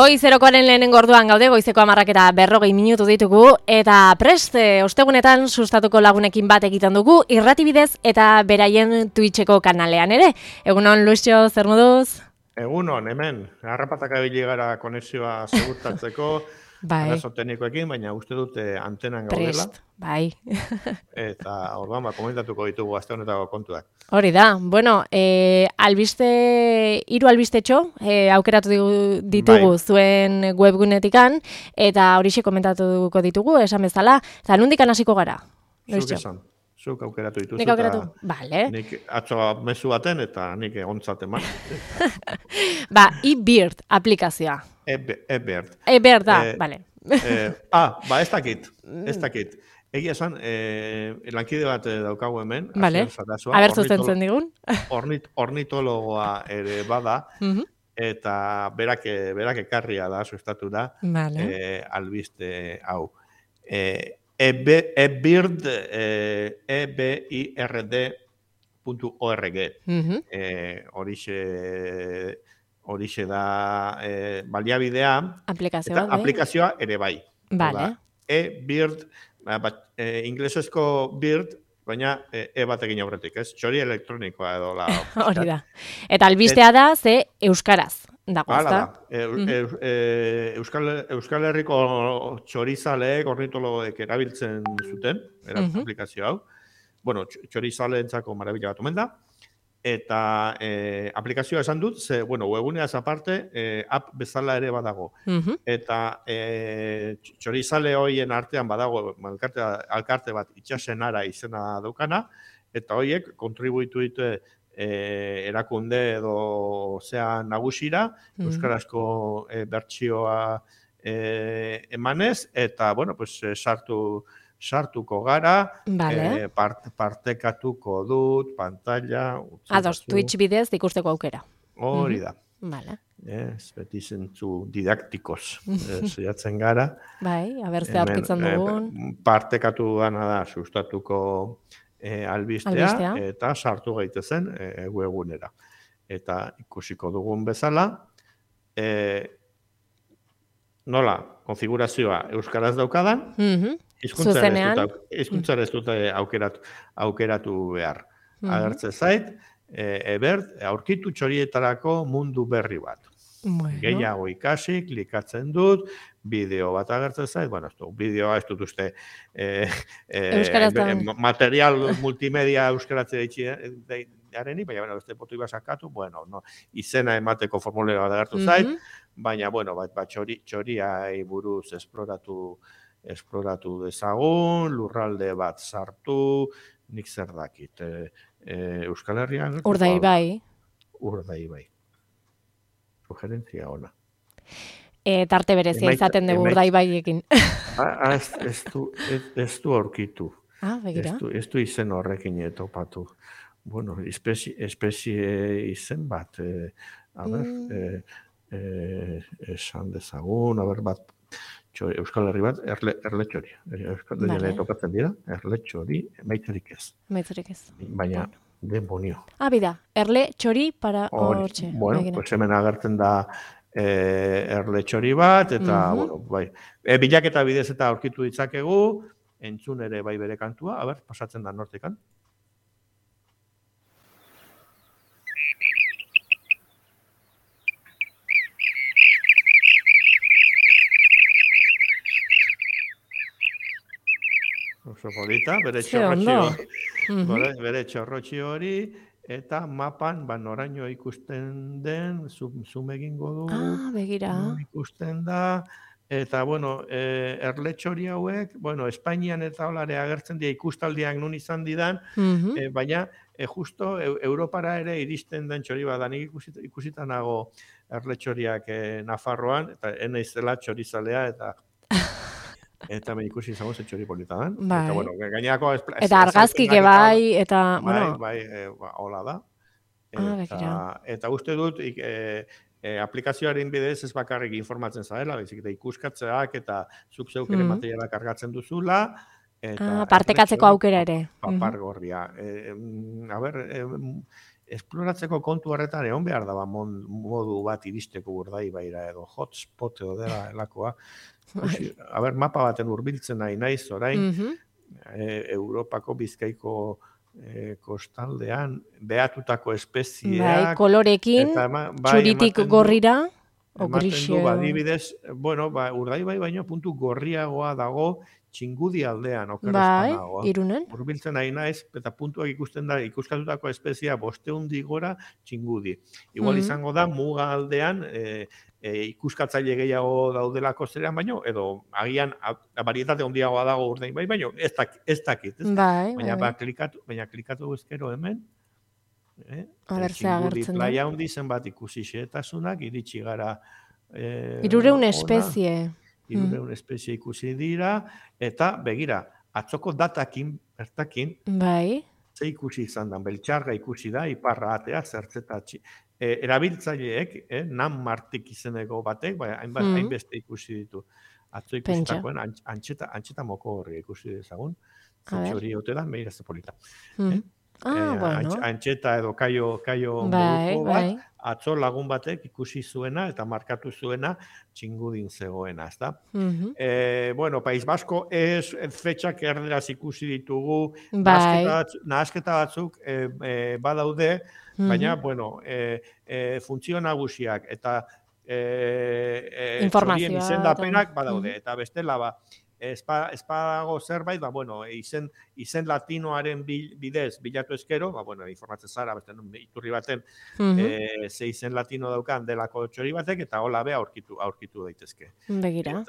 Goizerokoaren lehenengo orduan gaude, goizeko 10:40 minutu ditugu, eta prest, ostegunetan sustatuko lagunekin bat egiten dugu, irratibidez eta beraien Twitcheko kanalean ere. Egunon, Luisio, zer moduz? Egunon, hemen, harrapatak abili gara konexioa segurtatzeko, arazo teknikoekin, baina uste dute antenan gaudela. Prest, bai. Eta orduan, komentatuko ditugu aste honetako kontuak. Hori da, bueno, hiru albistetxo aukeratu ditugu zuen webgunetikan, eta horixe komentatuko ditugu, esan bezala, eta nondikan hasiko gara? Zuk esan, zuk aukeratu dituzu. Nik aukeratu, bale. Nik atzo mezu baten, eta nik ontzat eman. eBird aplikazioa. eBird. eBird da, bale. Ez dakit. Egia esan, lankide bat daukagu hemen. Bale, aber zuzentzen digun. Ornitologoa ere bada, eta berak ekarria da, sustatu da, albiste hau. eBird, ebird.org. Horixe da baliabidea, eta aplikazioa ere bai. Vale. eBird, inglesezko bird, baina batekin aurretik, ez? Txori elektronikoa edo la. Hori da. Eta albistea da, ze euskaraz dago, ezta? Euskal Herriko txorizaleek, ornitologoek erabiltzen zuten, aplikazio hau. Bueno, txorizaleentzako marabila bat omen da. Eta aplikazioa esan dut, webguneaz aparte, app bezala ere badago. Eta txorizale hoien artean badago alkarte bat itxasenara izena daukana, eta hoiek kontribuitu ditu erakunde edo nagusira, euskarazko bertsioa emanez, eta, sartuko gara, partekatuko dut, pantalla... Ados, Twitch bidez ikusteko aukera. Hori da. Vale. Beti zentzu didaktikoz zeiatzen gara. Bai, abertzea aurkitzen dugun. Partekatu gana da sustatuko albistea, eta sartu gaitezen webgunera. Eta ikusiko dugun bezala, nola, konfigurazioa euskaraz daukadan, hizkuntzara ez dute aukeratu behar. Agertze zait, eBird, aurkitu txorietarako mundu berri bat. Gehiago ikasi, klikatzen dut, bideo bat agertzen zait, bideoa ez dut uste material multimedia euskaratzea ditxearenik, baina beste botu iba sakatu, izena emateko formulera bat agertu zait, baina, txoriai buruz esploratu dezagun, lurralde bat sartu, nik zer dakit. Euskal Herrian... Urdaibai. Sugerentzia ona. Tarte berezia izaten dugu Urdaibaiekin. Ez du aurkitu. Begira. Ez du izen horrekin topatu. Espezie izen bat. Esan dezagun, bat, Euskal Herri bat, erle txori. Euskal Herri topatzen dira, erle txori, maitzerik ez. Baina, demonio. Bida, erle txori para hortxe. Hemen agertzen da erle txori bat, eta, bilaketa bidez eta aurkitu ditzakegu, entzun ere bai bere kantua, pasatzen da nortekan. Oso polita, bere txorrotxi hori, eta mapan, noraino ikusten den, zoom egingo du, ikusten da, eta, erle txori hauek, Espainian eta olare agertzen dira ikustaldiak nun izan didan, baina, justo, Europara ere iristen den txori bat, nik ikusitan nago erle txoriak Nafarroan, eta enaizela txorizalea, eta me ikusi izango ze txori polita dan. Eta argazkike bai, eta... hola da. Eta uste dut, aplikazioaren bidez ez bakarrik informatzen zarela, bezik eta ikuskatzeak eta zuk zeuk ere materialak argatzen duzula. Partekatzeko aukera ere. Papargorria. esploratzeko kontu horretan egon behar da modu bat iristeko Urdaibaira edo hotspot edo dela elakoa. A ber, mapa baten hurbiltzen nahi naiz orain, Europako Bizkaiko kostaldean behatutako espezieak. Kolorekin, txuritik gorrira, ematen du, adibidez, bueno, Urdaibai baino puntu gorriagoa dago Txingudi aldean, okerrezpanagoa. Irunen. Hurbiltzen nahi naiz, eta puntuak ikusten da, ikuskatutako espezia 500 gora Txingudi. Igual izango da, muga aldean, ikuskatzaile gehiago daudelako zerean baino, edo agian barietate handiagoa dago Urdaibai baino, ez dakit. Baina klikatu ezkero hemen, Txingudi playa handi zenbat ikusi xehetasunak, iritsi gara 300 espezie. 300 espezie ikusi dira, eta begira, atzoko datakin, bertakin, ze ikusi izan da, beltxarga ikusi da, iparra atea, zertzetatxi. Erabiltzaileek, nan martik izeneko batek, hainbeste ikusi ditu. Atzo ikusitakoen, antxeta moko horri ikusi dezagun, zentxo hori ote da, meira zepolita. Antxeta edo kaio moduko bat, atzo lagun batek ikusi zuena eta markatu zuena Txingudin zegoena, ezta? Bueno, País Basko fetxak erderaz ikusi ditugu, nahasketa batzuk badaude, baina, bueno, funtzio nagusiak eta txorien izendapenak badaude, eta bestela espadago zerbait, bueno, izen latinoaren bidez bilatu ezkero, bueno, informatzen zara, iturri baten, ze izen latino daukan delako txori batek, eta hola be aurkitu daitezke. Begira.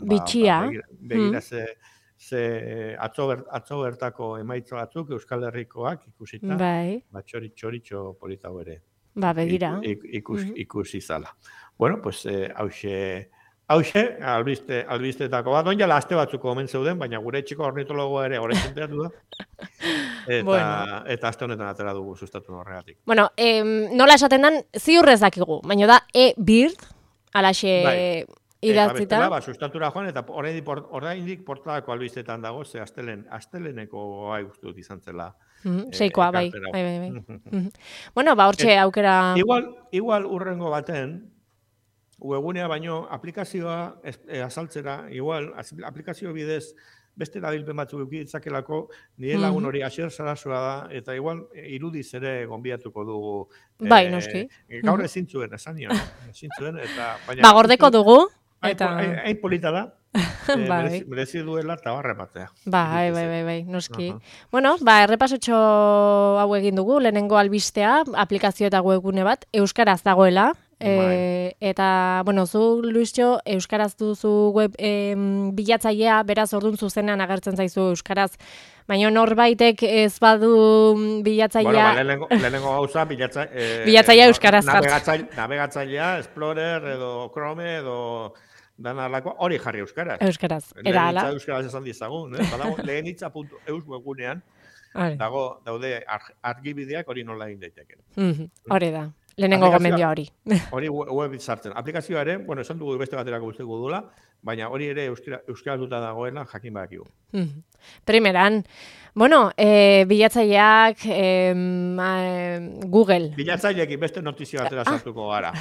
Bitxia. Begira ze atzo bertako emaitza batzuk Euskal Herrikoak ikusita, txoritxo polita ere. Begira. Ikusi zala. Bueno, pues, hauxe, albistetako bat, onjala aste batzuko omen zeuden, baina gure etxiko ornitologoa ere horrein zenteatu da. Eta aste honetan atera dugu sustatu horregatik. Bueno, nola esaten den, ziurrez dakigu, baina da e-bird, alaxe idatzita. Eta sustatura joan, eta oraindik portadako albistetan dago, ze asteleneko gai guztut izan zela. Seikoa, bai. Bueno, hortxe aukera... Igual urrengo baten, webgunea baino aplikazioa azaltzera, igual, aplikazio bidez beste erabilpen batzuk ditzakelako, nire lagun hori Asier Sarasua da, eta igual irudiz ere gonbiatuko dugu. Bai, noski. Gaur ezin zuen, esan nion. Eta gordeko dugu. Hain polita da. Merezi duela eta barre batea. Bai, noski. Bueno, errepasotxo hau egin dugu, lehenengo albistea, aplikazio eta webgune bat, euskaraz dagoela. Eta, bueno, zu, Luisio, euskaraz duzu web bilatzailea, beraz orduan zuzenean agertzen zaizu euskaraz, baina norbaitek ez badu bilatzailea... Bueno, lehenengo gauza bilatzailea euskaraz jartzen. Navegatzailea, Explorer edo Chrome edo dana alako, hori jarri euskaraz. Euskaraz. Lehenitza euskaraz esan dizagun, lehenitza.eus webgunean daude argibideak hori nola egin daiteke. Hori da. Lehenengo gomendio hori. Hori web sartzen. Aplikazioa ere, bueno, esan dugu beste baterako guzteko dula, baina hori ere euskaratuta dagoela jakin badakigu. Primeran, bueno, bilatzaileak Google. Bilatzaileekin beste notizio batera sartuko gara.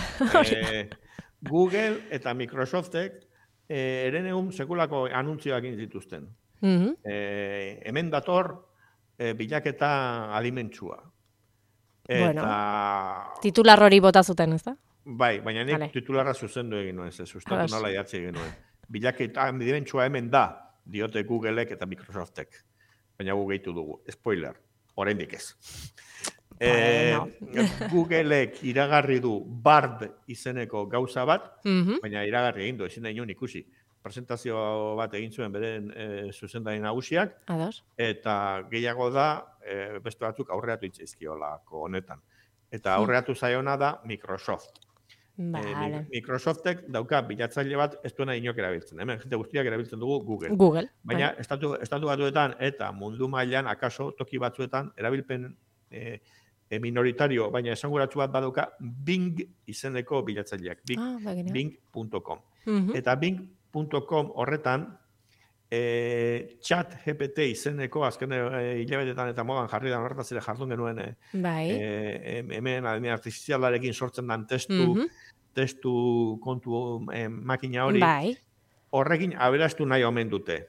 Google eta Microsoftek erenegun sekulako anuntzioak zituzten. Hemen dator bilaketa alimentsua. Bueno, titular hori bota zuten, ez da? Bai, baina nik titularra zuzendu egin nuen, sustatu nola idatzi egin nuen. Bilaketa alimentsua hemen da, diote Googleek eta Microsoftek. Baina gu gehitu dugu. Spoiler, oraindik ez. Googleek iragarri du Bard izeneko gauza bat, baina iragarri egin du, ezin da inon ikusi. Presentazio bat egin zuen beren zuzendari nagusiak, eta gehiago da beste batzuk aurreatu itzaizkiolako honetan. Eta aurreatu zaiona da Microsoft. Microsoftek dauka bilatzaile bat ez duena inok erabiltzen. Hemen jente guztiak erabiltzen dugu Google. Baina estatu batuetan eta mundu mailan akaso toki batzuetan erabilpen minoritario, baina esanguratsu bat badauka Bing izeneko bilatzaileak. Bing.com. Eta Bing.com horretan chat GPT izeneko azken hilabetetan eta modan jarri da horretaz ere jardun genuen hemen adina artifizialarekin sortzen den testu kontu makina hori, horrekin aberastu nahi omen dute.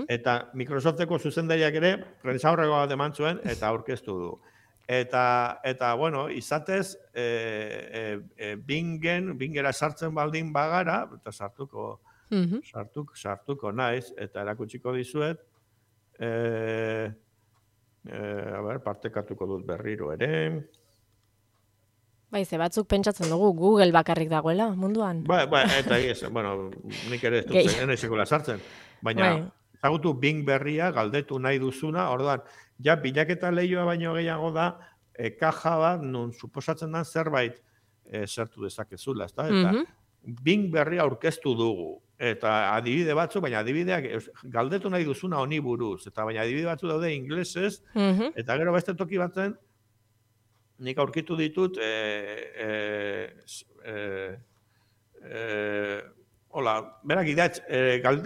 Eta Microsofteko zuzendariak ere prentsaurrekoa bat eman zuen eta aurkeztu du. Eta bueno, izatez, Bingera sartzen baldin bagara, eta sartuko naiz, eta erakutsiko dizuet, partekatuko dut berriro ere. Bai, ze batzuk pentsatzen dugu Google bakarrik dagoela munduan. Eta bueno, nik ere ez dut enesekula sartzen. Baina, ezagutu Bing berria, galdetu nahi duzuna, orduan, ja, bilaketa lehioa baino gehiago da, kaja bat, nun suposatzen den zerbait sartu dezakezula, ezta? Eta Bing berria aurkeztu dugu. Eta adibide batzu, baina adibideak galdetu nahi duzuna honi buruz. Eta baina adibide batzu daude inglesez, eta gero beste toki batzen, nik aurkitu ditut, berak idatz,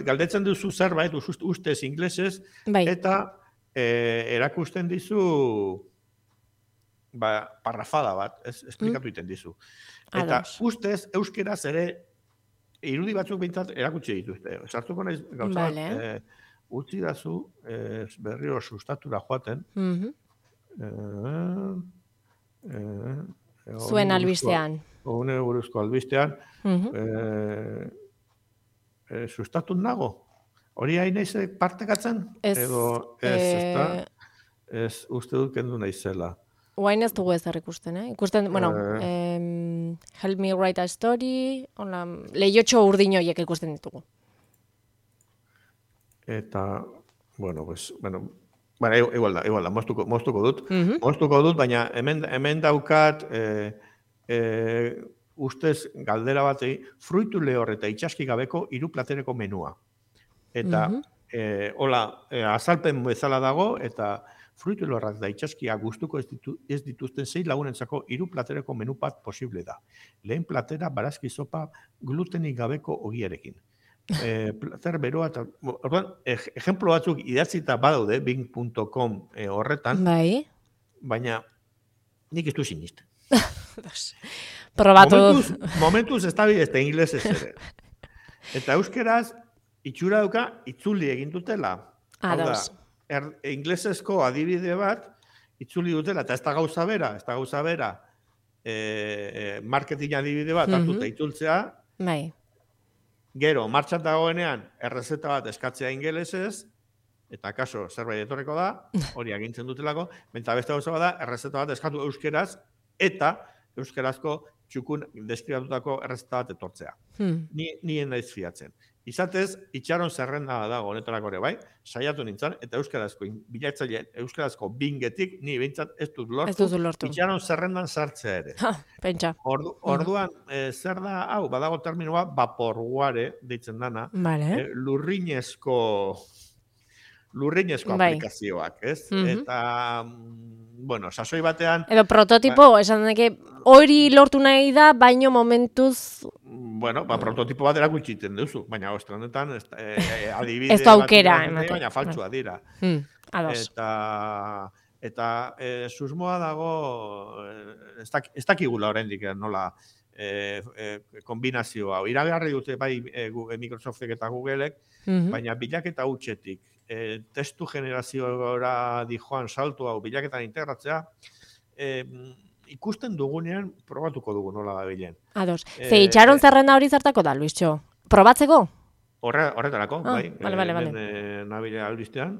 galdetzen duzu zerbait, ustez inglesez, eta erakusten dizu parrafada bat, esplikatu iten dizu. Eta ustez, euskeraz ere, irudi batzuk bintzat erakutsi dituzte. Sartuko naiz gauza bat, utzi dazu berriro sustatura joaten. Zuen albistean. Hone buruzko albistean. Sustatun nago? Hori hain naiz partekatzen? Edo ez uste dut kendu naizela. Oain ez dugu ezer ikusten, Ikusten, bueno, Help Me Write a Story, lehiotxo urdin horiek ikusten ditugu. Eta, igual da, moztuko dut. Moztuko dut, baina hemen daukat, ustez galdera batei, fruitu lehor eta itxaski gabeko 3 platereko menua. Eta, azalpen bezala dago, eta fruitu lehorrak da itxaskia gustuko ez dituzten 6 lagunentzako 3 platereko menu bat posible da. Lehen platera barazki sopa glutenik gabeko ogiarekin. Plater beroa eta... Ejemplo batzuk idatzita badaude, bing.com horretan, baina nik ez du sinisten. Probatu. Momentuz ez da bidezte inglesez ere. Eta euskeraz, itxura duka, itzuli egin dutela. Inglesezko adibide bat, itzuli dutela, eta ez da gauza bera, marketing adibide bat, hartuta itzultzea, gero, martxan dagoenean, errezeta bat eskatzea ingelesez, eta kaso, zerbait etorreko da, hori agintzen dutelako, eta beste gauza bat da, errezeta bat eskatu euskeraz, eta euskerazko txukun deskribatutako errezeta bat etortzea. Nien naiz fiatzen. Izatez, itxaron zerrenda dago honetarako ere bai, saiatu nintzen, eta euskarazko bilatzaileen, euskarazko bingetik, ni behintzat ez dut lortu, itxaron zerrendan sartzea ere. Pentsa. Orduan, zer da, hau, badago terminoa, vaporware, deitzen dana, lurrinezko aplikazioak, ez? Eta, bueno, sasoi batean... Edo prototipo, esan deke, hori lortu nahi da, baino momentuz... Bueno, prototipo bat erakutsiten duzu, baina ostrenetan adibide... Ez da aukera, baina faltsua dira. Eta susmoa dago, ez dakigula oraindik nola kombinazioa. Iragarri dute bai Microsoftek eta Googleek, baina bilaketa hutsetik testu generazioa dijoan salto hau bilaketan integratzea, ikusten dugunean probatuko dugu nola da bilen. Ados. Ze itxaron zerrenda hori zertako da, Luisxo? Probatzeko? Horretarako, bai. Bale. Nabile albistean.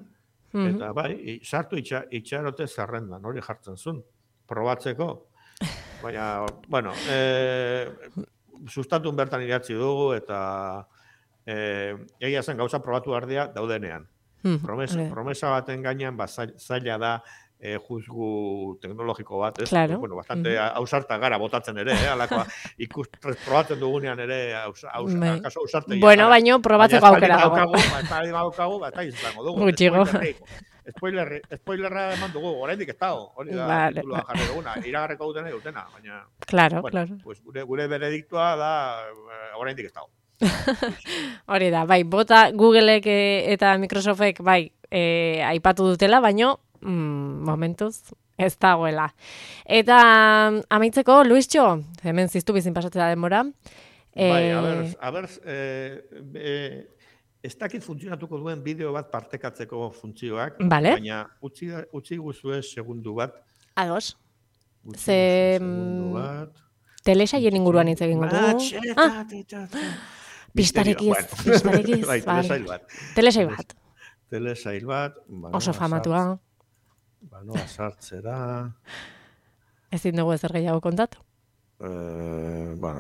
Eta bai, sartu itxarote zerrendan, hori jartzen zuen. Probatzeko. Baina, bueno, sustatun bertan idatzi dugu, eta egia zen gauza probatu ardea daudenean. Promesa baten gainean, zaila da, juzgu teknologiko bat, ez? Claro. Bueno, bastante ausarta gara botatzen ere, alakoa probatzen dugunean ere kaso ausarte. Bueno, baino probatzeko aukera dago. Eta izango dugu. Gutxigo. Spoilerra eman dugu, oraindik ez dago. Hori da tituloa jarri duguna. Iragarreko dutena, baina... Claro. Pues gure berediktua da oraindik ez dago. Hori da, bai, bota Googleek eta Microsoftek bai aipatu dutela, baino momentuz ez dagoela. Eta amaitzeko, Luistxo, hemen ziztu bizin pasatzea denbora. Bai, a ber, ez dakit funtzionatuko duen bideo bat partekatzeko funtzioak, baina utzi guzue segundu bat. Ados. Segundu bat. Telesaien inguruan hitz egingo dugu. Pistarekiz. Telesail bat. Oso famatua. Banoa sartzera. Ezin dugu ezer gehiago kontatu?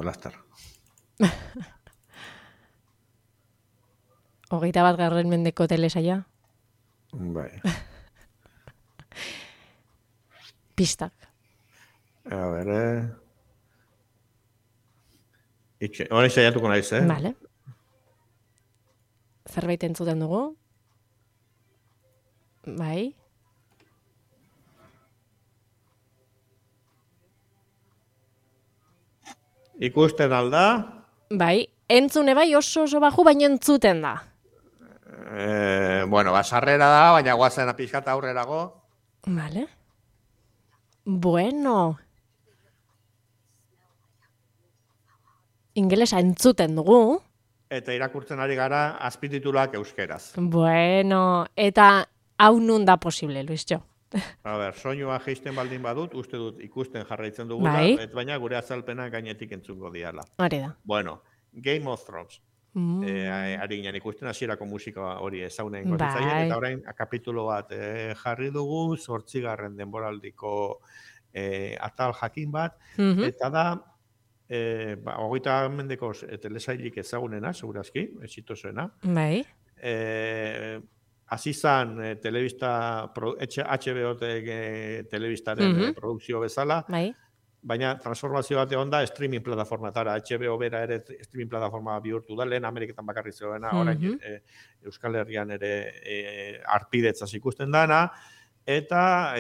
Lastar. 21. mendeko telesaila? Bai. Pistak. A ber, Hori saiatuko naiz, Vale. Zerbait entzuten dugu? Bai. Ikusten alda? Bai, entzune bai oso baju, baina entzuten da. Sarrera da, baina guazen pixkat aurrerago. Vale. Bueno. Ingelesa entzuten dugu. Eta irakurtzen ari gara azpitituluak euskeraz. Bueno, eta hau nun da posible, Luistxo? A ber, soinua jeisten baldin badut, uste dut ikusten jarraitzen dugula, baina gure azalpena gainetik entzungo diala. Hori da. Bueno, Game of Thrones. Ari ginen ikusten hasierako musika hori ezaunen gotitzaien, eta orain kapitulo bat jarri dugu, 8. denboraldiko atal jakin bat, eta da, 20 mendeko telesailik ezagunena, segurazki, exitosoena. Bai. Azizan telebista, HBO telebistaren produkzio bezala, baina transformazio bat egon da streaming plataformatara. HBO bera ere streaming plataforma bihurtu da, lehen Ameriketan bakarri zegoena, orain Euskal Herrian ere arpidetzaz ikusten dana, eta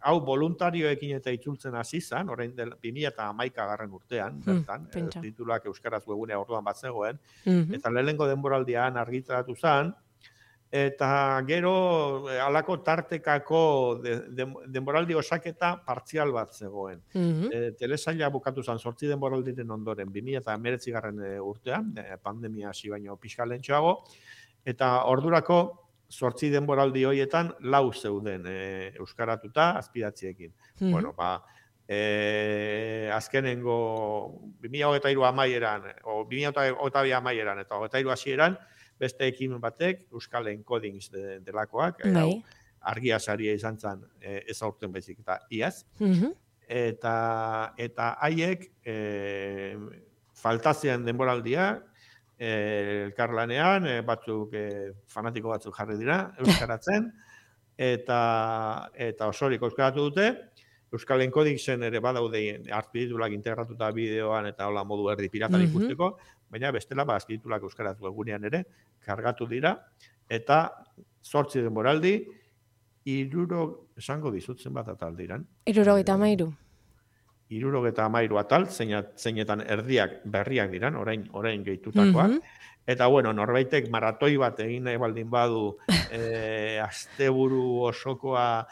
hau voluntarioekin eta itzultzen hasi izan, orain 2011 urtean, bertan, tituluak euskaraz webgunea orduan bat zegoen, eta lehenengo denboraldian argitaratu zen, eta gero halako tartekako denboraldi osaketa partzial bat zegoen. Telesaila bukatu zen 8 denboraldiren ondoren, 2019 urtean, pandemia hasi baino pixka lehentxoago, eta ordurako 8 denboraldi horietan 4 zeuden euskaratuta azpidatziekin. Bueno, azkenengo 2023 amaieran, o 2022 amaieran eta 2023 hasieran, beste ekimen batek, Euskal Encodings delakoak, argia saria izan zen ezaurten baizik eta iaz. Eta haiek faltazean denboraldia, elkarlanean, batzuk fanatiko batzuk jarri dira, euskaratzen, eta osorik euskaratu dute, Euskal Encodingsen ere badaude azpitituluak integratuta bideoan eta hola modu erdi piratan ikusteko, baina bestela azpitituluak euskaratu egunean ere kargatu dira, eta 8 denboraldi, 300 esango dizutzen bat atal diran. 73. 73 atal, zeinetan erdiak berriak diran, orain gehitutakoak. Eta, norbaitek maratoi bat egin nahi baldin badu asteburu osokoa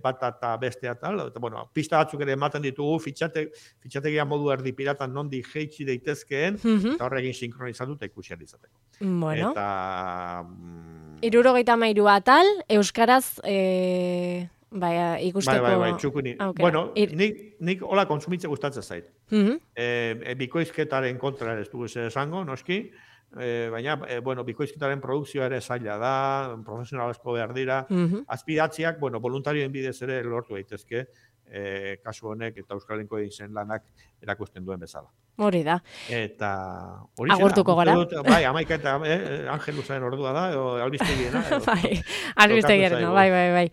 bat eta bestea tal, eta, pista batzuk ere ematen ditugu, fitxategia modu erdi piratan nondi jeitsi daitezkeen, eta horregin sinkronizatu eta ikusi izateko. Bueno. Eta... 73 atal, euskaraz ikusteko... Bai, txukuni. Bueno, nik hola kontsumitze gustatzen zait. Bikoizketaren kontra ez dugu esango, noski, baina, bikoizketaren produkzioa ere zaila da, profesionalezko behar dira, azpidatziak, voluntarioen bidez ere lortu daitezke, kasu honek eta Euskal Encodingsen lanak erakusten duen bezala. Hori da. Eta hori agurtuko gara. Bai, Amaika eta Angelusaren ordua da, albiztegiena. Bai, albiztegiena, bai.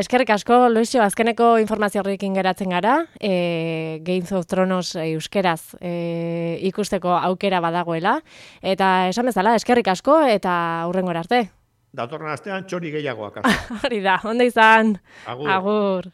Eskerrik asko, Luisio, azkeneko informazio horrekin geratzen gara, Game of Thrones euskeraz ikusteko aukera badagoela, eta esan bezala, eskerrik asko, eta hurrengora arte. Datorren astean txori gehiagoak. Hori da, ondo izan. Agur.